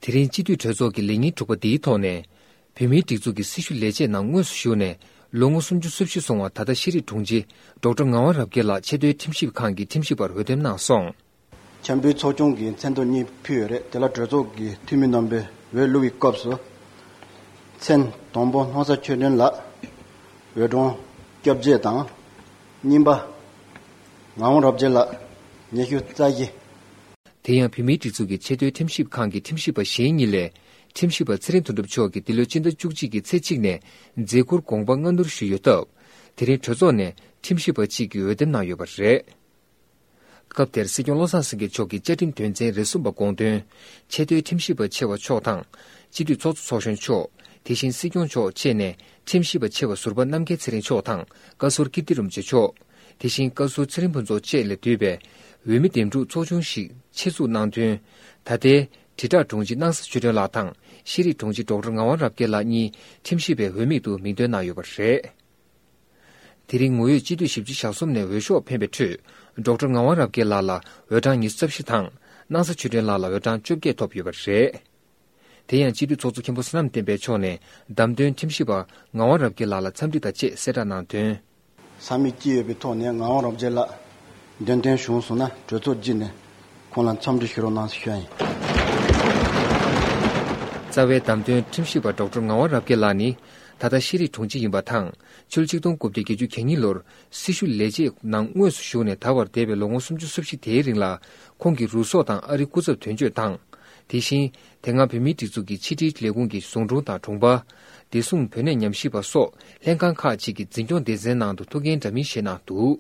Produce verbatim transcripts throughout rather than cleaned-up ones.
དེ་རིང་སྤྱི་འཐུས་གྲོས་ཚོགས་ཀྱི་ལས་ཉིན་དྲུག་པ་འདིའི་ཐོག་ནས། བོད་མིའི་སྒྲིག་འཛུགས་ཀྱི་སྲི་ཞུ་ལས་བྱེད་ནང་དངོས་སུ་ཞུགས་ནས་ལོ་ངོ་སུམ་ཅུ་སོ་བཞི་སོང་བ་ད་ལྟ་ཤེས་རིག་དྲུང་ཆེ་ཌོག་ཊར་ངག་དབང་རབ་རྒྱས་ལགས་ཆེས་མཐོའི་ཁྲིམས་ཞིབ་ཁང་གི་ཁྲིམས་ཞིབ་པར་འོས་འདེམས་གནང་སོང་། འཆམ་མཐུན་ཚོགས་ཆུང་གི་མཚན་ཐོ་གཉིས་ཕུལ་ཡོད་རེད། དེ་ལ་གྲོས་ཚོགས་ཀྱི་འཐུས་མི་རྣམ་པས་འོས་བླུག་པའི་སྐབས་སུ། མཚན་དང་པོ་སྣང་ས་ཆོས་སྒྲོན་ལགས། འོས་གྲངས་བཅོ་བརྒྱད་དང་། གཉིས་པ། ངག་དབང་རབ་རྒྱས་ལགས། ཉི་ཤུ་རྩ་བཞི། དེ་ཡང་བོད་མིའི་སྒྲིག་འཛུགས་ཀྱི་ཆེས་མཐོའི་ཁྲིམས་ཞིབ་ཁང་གི་ཁྲིམས་ཞིབ་པ་གཞན་གཉིས་ལས། ཁྲིམས་ཞིབ་པ་ཚེ་རིང་དོན་གྲུབ་མཆོག་གིས་འདི་ལོའི་སྤྱི་ཟླ་བཅུ་གཅིག་གི་ཚེས་གཅིག་ནས་མཛད་ཁུར་དགོངས་པ་སྔ་སྣུར་ཞུས་ཡོད་སྟབས། དེ་རིང་གྲོས་ཚོགས་ནས་ཁྲིམས་ཞིབ་པ་གཅིག་གི་འོས་འདེམས་གནང་ཡོད་པ་རེད། སྐབས་དེར་སྲིད་སྐྱོང་བློ་བཟང་སེང་གེ་མཆོག་གིས་བཅའ་ཁྲིམས་དོན་ཚན་རེ་གསུམ་པ་དགོངས་དོན། ཆེས་མཐོའི་ཁྲིམས་ཞིབ་པ་ཆེ་བ་མཆོག་དང་། སྤྱི་འཐུས་ཚོགས་གཙོ་ཚོགས་གཞོན་མཆོག་དེ་བཞིན་སྲིད་སྐྱོང་མཆོག་བཅས་ནས་ཁྲིམས་ཞིབ་པ་ཆེ་བ་ཟུར་པ་རྣམ་རྒྱལ་ཚེ་རིང་མཆོག་དང་བཀའ་ཟུར་ཀིརྟི་རིན་པོ་ཆེ་མཆོག་དེ་བཞིན་བཀའ་ཟུར་ཚེ་རིང་ཕུན་ཚོགས་བཅས་ལས་བསྡུས་པའི་འོས་མི་འདེམས་སྒྲུག་ཚོགས་ཆུང་ཞིག་ཆེད་འཛུགས་གནང་དོན། ད་ལྟའི་དྲིལ་བསྒྲགས་དྲུང་ཆེ་སྣང་ས་ཆོས་སྒྲོན་ལགས་དང་ཤེས་རིག་དྲུང་ཆེ་ཌོག་ཊར་ངག་དབང་རབ་རྒྱས་ལགས་གཉིས་ཁྲིམས་ཞིབ་པའི་འོས་མིག་ཏུ་མིང་འདོན་གནང་ཡོད་པ་རེད། དེ་རིང་ངོ་ཡོད་སྤྱི་འཐུས་བཞི་བཅུ་ཞེ་གསུམ་ནས་འོས་ཤོག་འཕེན་པའི་ཁྲོད། ཌོག་ཊར་ངག་དབང་རབ་རྒྱས་ལགས་ལ་འོས་གྲངས་ཉི་ཤུ་རྩ་བཞི་དང་། སྣང་ས་ཆོས་སྒྲོན་ལགས་ལ་འོས་གྲངས་བཅོ་བརྒྱད་ཐོབ་ཡོད་པ་རེད། དེ་ཡང་སྤྱི་འཐུས་ཚོགས་གཙོ་མཁན་པོ་བསོད་ནམས་བསྟན་འཕེལ་མཆོག་ནས་བདམས་ཐོན་ཁྲིམས་ཞིབ་པ་ངག་དབང་རབ་རྒྱས་ལགས་ལ་འཚམས་འདྲི་དང་བཅས་གསལ་བསྒྲགས་གནང་དོན། ས་མིག་ཅི་ཡོད་པའི་ཐོག་ནས་ངག་དབང་རབ་རྒྱས་ལགས་འདེམས་ཐོན་བྱུང་སོང་ན་གྲོས་ཚོགས་བརྒྱུད་ནས་ཁོང་ལ་འཚམས་འདྲི་ཞུ་རོགས་གནང་ཞུ་ཡ་ཡིན། རྩ་བའི་བདམས་ཐོན་ཁྲིམས་ཞིབ་པ་ཌོག་ཊར་ངག་དབང་རབ་རྒྱས་ལགས་ནི། ད་ལྟ་ཤེས་རིག་དྲུང་ཆེ་ཡིན་པ་དང་། ཕྱི་ལོ་ཆིག་སྟོང་དགུ་བརྒྱ་བརྒྱད་ཅུ་གྱ་གཉིས་ལོར་སྲི་ཞུ་ལས་བྱེད་ནང་དངོས་སུ་ཞུགས་ནས་ད་བར་འདས་པའི་ལོ་ངོ་སུམ་ཅུ་སོ་བཞི་དེའི་རིང་ལ་ཁོང་གིས་རུ་ཚོགས་དང་ཨ་རིའི་སྐུ་ཚབ་དོན་གཅོད་དང་། དེ་བཞིན་དེ་སྔ་བོད་མིའི་སྒྲིག་འཛུགས་ཀྱི་ཕྱི་དྲིལ་ལས་ཁུངས་ཀྱི་ཟུང་དྲུང་དང་དྲུང་འཕར། བདེ་སྲུང་བོད་གནས་ཉམས་ཞིབ་པ་སོགས་ལྷན་ཁང་ཁག་ཅིག་གི་འཛིན་སྐྱོང་སྡེ་ཚན་ནང་དུ་ཐུགས་འགན་འདྲ་མིན་བཞེས་གནང་འདུག་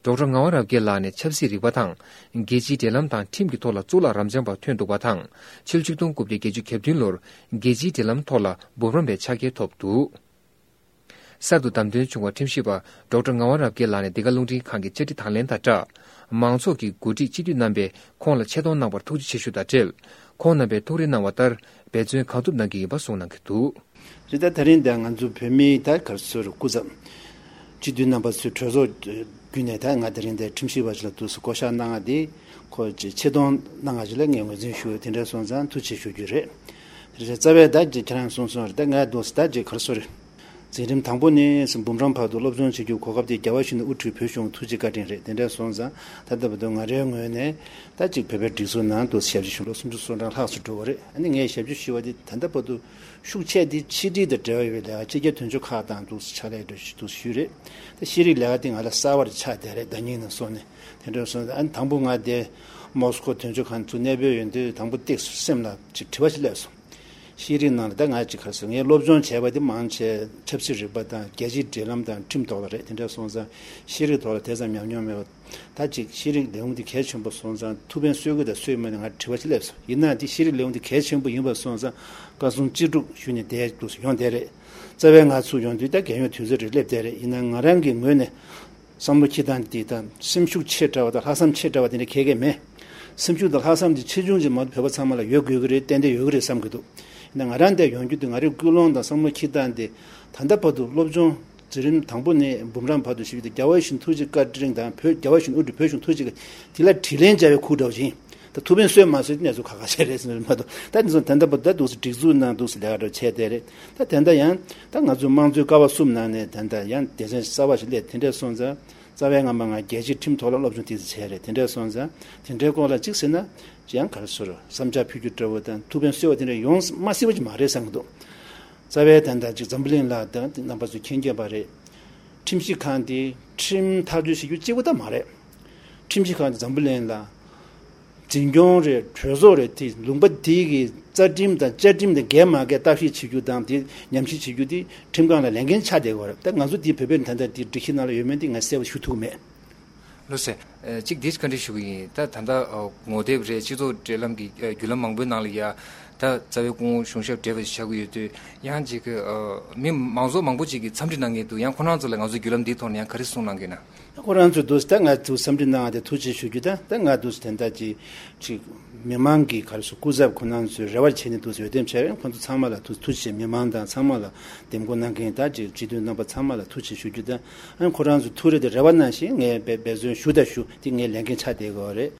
ཌོག་ཊར་ངག་དབང་རབ་རྒྱས་ལགས་ནས་ཆབ་སྲིད་རིག་པ་དང་རྒྱལ་སྤྱིའི་འབྲེལ་ལམ་དང་ཁྲིམས་ཀྱི་ཐོག་ལ་གཙུག་ལག་རབ་འབྱམས་པ་ཐོན་འདུག་པ་དང་། ཕྱི་ལོ་ཆིག་སྟོང་དགུ་བརྒྱ་བརྒྱད་ཅུ་གྱ་བདུན་ལོར་རྒྱལ་སྤྱིའི་འབྲེལ་ལམ་ཐོག་ལ་འབུམ་རམས་པའི་ཕྱག་འཁྱེར་ཐོབ་འདུག་གསར་དུ་བདམས་ཐོན་བྱུང་བ་ཁྲིམས་ཞིབ་པ་ཌོག་ཊར་ངག་དབང་རབ་རྒྱས་ལགས་ནས་འདི་ག་རླུང་འཕྲིན་ཁང་གི་བཅར་འདྲི་དང་ལེན་དང་སྦྲགས། མང་ཚོགས་ཀྱི་འགོ་ཁྲིད་སྤྱི་འཐུས་རྣམ་པས་ཁོང་ལ་ཆེ་མཐོང་གནང་བར་ཐུགས་རྗེ་ཆེ་ཞུ་དང་འབྲེལ། ཁོང་རྣམ་པས་ཐུགས་རེ་གནང་བ་ལྟར་འབད་བརྩོན་གང་ཐུབ་གནང་གི་ཡིན་པ་གསུངས་གནང་གི་འདུག་རེད། ད་དེ་རིང་འདིར་ང་ཚོ་བོད་མིའི་ད་ག་རེ་ཟེར་སྐུ་ཚབ། སྤྱི་འཐུས་རྣམ་པ་ཚོའི་གྲོས་ཚོགས་བརྒྱུད་ནས་ད་ང་དེ་རིང་འདིར་ཁྲིམས་ཞིབ་པ་ཞིག་ལ་འདུག་སེ་བསྐོ་བཞག་གནང་བ་དེ་ཁོ་ཆེ་མཐོང་གནང་བ་ཞིག་ལ་ངས་ངོས་འཛིན་ཞུ། དེ་འདྲ་སོང་ཙང་ཐུགས་རྗེ་ཆེ་ཞུ་རྒྱུ་རེད། དེ་རེད། རྩ་བའི་ད་ཁྱེད་རང་གསུངས་སོང་རེད། ད་ང་འདུག་སེ་ད་ཅིག་ག་རེ་ཟེར། འཛིན་རིམ་དང་པོ་ནས་འབུམ་རམས་བར་དུ་སློབ་སྦྱོང་བྱེད་རྒྱུ་གོ་སྐབས་དེ་རྒྱལ་བ་ཡིད་བཞིན་དབུ་ཁྲིད་བོད་གཞུང་ཐུགས་རྗེ་བཀའ་དྲིན་རེད། དེ་འདྲ་སོང་ཙང་ད་ལྟ་བར་དུ་ང་རའི་ངོས་ནས་ད་ཅིག་བོད་པའི་སྒྲིག་འཛུགས་ནང་དུ་ཞབས་ཕྱི་ཞུ་ལོ་སུམ་ཅུ་སོ་གྲངས་ལྷག་ཙམ་འགྲོ་བ་རེད། ཨ་ནི་ངས་ཞབས་ཕྱི་ཞུ་བ་དེ་ད་ལྟ་བར་དུ་ཤུགས་ཆེ་དེ་ཕྱི་དྲིལ་དང་འབྲེལ་བ་ཡོད་པའི་ལས་ཀ་སྤྱི་ཁྱབ་དོན་གཅོད་ཁག་དང་འདུག་སེ་ཕྱག་ལས་འདུག་སེ་ཞུས་རེད། ད་ཤེས་རིག་ལས་ཀ་དེ་ང་ལ་གསར་བ་རེ་ཆགས་བསྡད་རེད། ཟླ་གཉིས་ནང་སོང་ནས་དེ་འདྲ་སོང་ཙང་ཨ་ནི་དང་པོ་ང་དེ་མོ་སི་ཁོ་དོན་གཅོད་ཁང་དུ་གནས་སྤོས་ཡོང་དུས་དང་པོ་ཏོག་ཙམ་སེམས་ལ་ཅིག་དྲི་བ་ཞིག་སླེབས་སོང་། ཤེས་རིག་ནང་ལ་ད་ང་ཅིག་ག་རེ་ཟེར། ངས་སློབ་སྦྱོང་བྱས་པ་དེ་མང་ཆེ་ཆབ་སྲིད་རིག་པ་དང་རྒྱལ་སྤྱིའི་འབྲེལ་ལམ་དང་ཁྲིམས་ཐོག་ལ་རེད། དེ་འདྲ་སོང་ཙང་ཤེས་རིག་ཐོག་ལ་དེ་ཙམ་ཉམས་མྱོང་མེད་པ། ད་ཅིག་ཤེས་རིག་ལས་ཁུངས་དེ་གལ་ཆེན་པོ་སོང་ཙང་ཐུགས་ཕན་གསོས་ཀྱི་དང་གསོས་མེད་ནས་ང་དྲི་བ་ཅིག་སླེབས་སོང་། ཡིན་ན་དེ་ཤེས་རིག་ལས་ཁུངས་དེ་གལ་ཆེན་པོ་ཡིན་པ་སོང་ཙང་བཀའ་གསུང་ཅི་སྒྲུབ་ཞུས་ནས་བསྡད་འདུག་སེ་ཡོང་བསྡད་རེད། རྩ་བའི་ང་ཚུར་ཡོང་དུས་ད་རྒས་ཡོལ་དུས་ཚོད་རེ་སླེབས་བསྡད་རེད། ཡིན་ན་ང་རང་གི་ངོས་ནས། བསམ་བློ་འཁྱེར་སྟངས་འདི་དང་སེམས་ཤུགས་ཆེ་དྲགས་པ་དང་ལྷག་བསམ་ཆེ་དྲགས་པ་དེ་འདྲ་གང་ཡང་མེད། སེམས་ཤུགས་དང་ལྷག་བསམ་འདི་ཆེ་ཆུང་ཅིག་མ་གཏོགས་བོད་པ་ཚང་མ་ལ་ཡོད་དགོས་ཀྱི་རེད། ཏན་ཏན་ཡོད་ཀྱི་རེད་བསམ་གྱི་འདུག་ཡིན་ན་ང་རང་འདིར་ཡོང་རྒྱུ་དེ་ང་རའི་ཀུན་སློང་དང་བསམ་བློ་འཁྱེར་སྟངས་དེ་ད་ལྟ་བར་དུ་སློབ་སྦྱོང་འཛིན་རིམ་དང་པོ་ནས་འབུམ་རམས་བར་དུ་ཞུས་ཏེ་རྒྱལ་བ་ཡིད་བཞིན་ཐུགས་རྗེ་བཀའ་དྲིན་དང་བོད་རྒྱལ་བ་ཡིད་བཞིན་དབུ་ཁྲིད་བོད་གཞུང་ཐུགས་རྗེ་བཀའ་དེ་ལ་དྲིན་ལན་འཇལ་བའི་ཁུག་འདྲ་བོ་ཞིག་ཡིན། ད་ཐུགས་ཕན་གསོས་མ་གསོས་དེ་གནས་ཚུལ་ཁ་ཁ་ཤས་རེད་ཟེར་ནས་མ་གཏོགས། ད་དེ་ཚོ་ད་ལྟ་བར་དུ་ད་འདུག་སེ་སྒྲིག་འཛུགས་ནང་འདུག་སེ་ལས་ཀ་འདྲ་བྱས་བསྡད་རེད། ད་དེ་འདྲ་ཡང་ད་ང་ཚོའི་དམངས་གཙོའི་ཀ་བ་གསུམ་ནང་ནས་ད་ལྟ་ཡང་སྡེ་ཚན་གསར་བ་ཞིག་སླེབས། དེ་འདྲ་སོང་ཙང་རྩ་བའི་སྔ་མ་ང་རྒྱལ་སྤྱིའི་ཁྲིམས་ཐོག་ལ་སློབ་སྦྱོང་ཏོག་ཙམ་བྱས་རེད། དེ་འདྲ་སོང་ཙང་དེ་འདྲའི་སྐོར་ལ་གཅིག་ཟེར་ན་ཅི་ཡང་ག་རེ་ཟེར་བསམ་འཆར་ཕུལ་རྒྱུ་འདྲ་བོ་དང་ཐུགས་ཕན་གསོས་པ་དེ་འདྲ་ཡོང་མ་སྲིད་པ་ཅིག་མ་རེད་བསམ་གྱི་འདུག་རྩ་བའི་ད་ལྟ་ཅིག་འཛམ་བུ་གླིང་ལ་ད་རྣམ་པ་ཚོས་མཁྱེན་མཁྱེན་པ་རེད། ཁྲིམས་ཞིབ་ཁང་དེ་ཁྲིམས་ཐག་གཅོད་བྱེད་རྒྱུ་གཅིག་པུ་ད་མ་རེད། ཁྲིམས་ཞིབ་ཁང་དེ་འཛམ་བུ་གླིང་ལ་འཛིན་སྐྱོང་རེད། གྲོས་ཚོགས་རེད། དེ་ལུང་པ་དེ་གི་རྩ་ཁྲིམས་དང་བཅའ་ཁྲིམས་དང་འགལ་མ་འགལ་བརྟག་ཞིབ་བྱེད་རྒྱུ་དང་དེ་ཉམས་ཞིབ་བྱེད་རྒྱུ་དེ་ཁྲིམས་ཁང་ལ་ལས་འགན་ཆགས་བསྡད་ཡོད་རེད། ད་ང་ཚོ་དེ་བོད་པའི་ད་ལྟ་དེ་སྒྲིག་གཞི་ནང་ལ་ཡོད་མེད་དེ་ང་གསལ་པོ་ཞུ་ཐུབ་ཀྱི་མེད། ལགས་སོ། ཨ་གཅིག་དེ་བཀའ་འདྲི་ཞུ་གི་ཡིན། ད་ད་ལྟ་ཨ་ངོ་དེབ་རེད། སྤྱི་ཚོགས་འབྲེལ་ལམ་གྱི་ཨ་བརྒྱུད་ལམ་མང་པོའི་ནང་ལ་ཡ་ད་རྩ་བའི་སྐུ་ངོ་གཞུང་ཞབས་བགྲེས་པ་ཞིག་ཆགས་ཀྱི་ཡོད་དུས་ཡང་ཅིག་ཨ་མི་མང་ཚོགས་མང་པོ་ཅིག་གིས་འཚམས་འདྲི་གནང་མཁན་འདུག་ཡང་ཁོ་རང་ཚོ་ལ་ང་ཚོའི་བརྒྱུད་ལམ་འདིའི་ཐོག་ནས་ཡང་ག་རེ་གསུངས་གནང་གི་ཡོད་ན། ཁོ་རང་ཚོས་འདུག་ད་ང་ཚོ་འཚམས་འདྲི་གནང་བ་དེ་ཐུགས་རྗེ་ཆེ་ཞུ་རྒྱུ་དང་། ད་ང་འདུག་དེ་འདྲ་ཅིག་ཅིག་མི་མང་གི་ག་རེ་ཟེར་སྐུ་ཚབ་ཁོ་རང་ཚོས་རེ་བ་བྱས་ནས་འདུག་འོས་འདེམས་བྱས་རེད། ཁོ་ཚོ་ཚང་མ་ལ་ཐུགས་ཐུགས་རྗེ་ཆེ། མི་མང་དང་ཚང་མ་ལ་འདེམས་བསྐོ་གནང་མཁན་ད་ཅིག་སྤྱི་འཐུས་རྣམ་པ་ཚང་མ་ལ་ཐུགས་རྗེ་ཆེ་ཞུ་རྒྱུ་དང་། ཨ་ཁོ་རང་ཚོ་ཐུགས་རེ་དེ་རེ་བ་གནང་བཞིན་ངས་འབད་འབད་བརྩོན་ཞུ་དང་ཞུ། དེ་ངའི་ལས་འགན་ཆགས་བསྡད་ཡོད་རེད།